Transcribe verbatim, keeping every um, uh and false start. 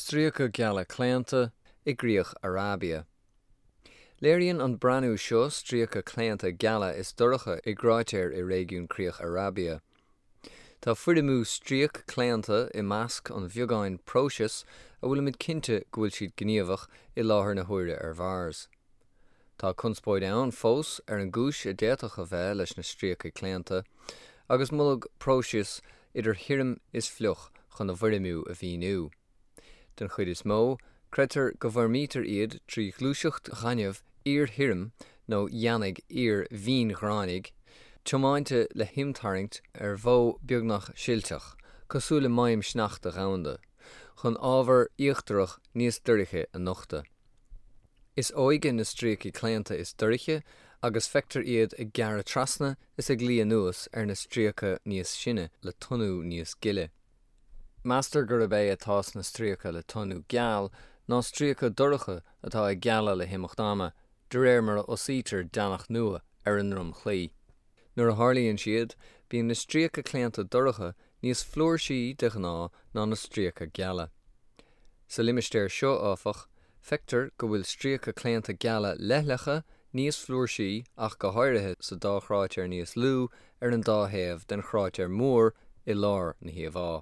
Stríoca geala claonta i gcríoch Arabia. Léiríonn an breathnú seo stríoca claonta geala is dorcha i gcráitéir i réigiún Críoch Arabia. Tá foirmiú stríoc claonta i measc an bheagáin próiseas a bhfuilimid cinnte go bhfuil siad gníomhach i láthair na huaire ar Mhars. Tá conspóid ann fós ar an gcúis a d'fhéadfadh a bheith leis na stríoca claonta, agus moladh próisis idir thirim is fliuch chun a bhfoirmiú a mhíniú. Den chuid is mó, creidtear go bhfoirmítear iad trí ghluaiseacht ghainimh fhíorthirim nó dheannaigh fhíor-mhínghráinigh, tiomáinte le himtharraingt ar mhodh beagnach silteach, cosúil le maidhm sneachta dhomhanda, chun ábhar íochtarach níos dorcha a nochtadh. Is óige na stríocaí claonta is dorcha agus feictear iad ag gearradh trasna is ag luí anuas ar na stríoca níos sine le tonnú níos gile. Meastar gurb é atá sna stríoca le tonnú geal ná stríoca dorcha atá ag gealadh le himeacht ama, de réir mar a fhosaítear deannach nua ar a ndromchlaí. Nuair a tharlaíonn siad, bíonn na stríoca claonta dorcha níos flúirsí de ghnáth ná na stríoca geala. Sa limistéar seo áfach, feictear go bhfuil stríoca claonta geala leithleacha níos flúirsí ach go háirithe sa dá chráitéar níos lú ar an dá thaobh den chráitéar mór i lár na híomhá.